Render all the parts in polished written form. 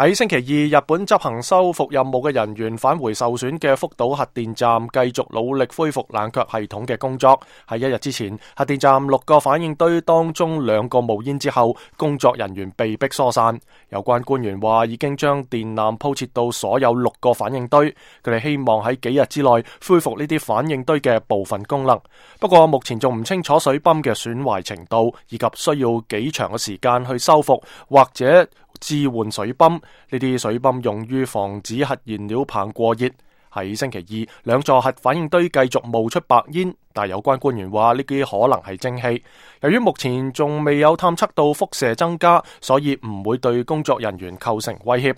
喺星期二，日本執行修復任務嘅人員返回受損嘅福島核電站，繼續努力恢復冷卻系統嘅工作。喺一日之前，核電站6個反應堆當中2個冒煙之後，工作人員被迫疏散。有關官員話已經將電纜鋪設到所有6個反應堆，佢哋希望喺幾日之內恢復呢啲反應堆嘅部分功能。不過目前仲唔清楚水泵嘅損壞程度，以及需要幾長嘅時間去修復或者置換水泵。呢啲水泵用於防止核燃料棒過熱。喺星期二，2座核反應堆繼續冒出白煙，但有關官員話呢啲可能係蒸汽。由於目前仲未有探測到輻射增加，所以唔會對工作人員構成威脅。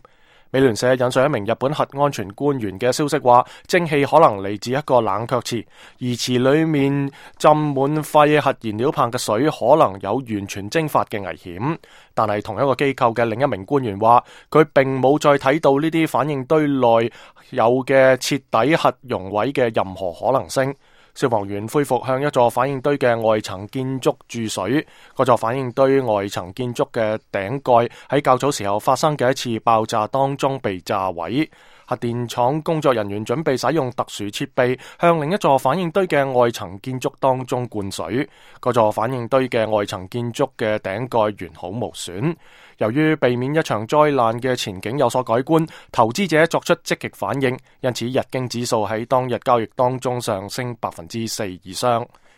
美聯社引述一名日本核安全官員嘅消息話，蒸汽可能嚟自一個冷卻池，而池裏面浸滿廢核燃料棒嘅水可能有完全蒸發嘅危險。但係同一個機構嘅另一名官員話，佢並冇再睇到呢啲反應堆內有嘅徹底核熔毀嘅任何可能性。消防員恢復向一座反應堆嘅外層建築注水，嗰座反應堆外層建築嘅頂蓋喺較早時候發生嘅一次爆炸當中被炸毀。核電廠工作人員準備使用特殊設備向另一座反應堆嘅外層建築當中灌水，嗰座反應堆嘅外層建築嘅頂蓋完好無損。由於避免一場災難嘅前景有所改觀，投資者作出積極反應，因此日經指數喺當日交易當中上升4%以上。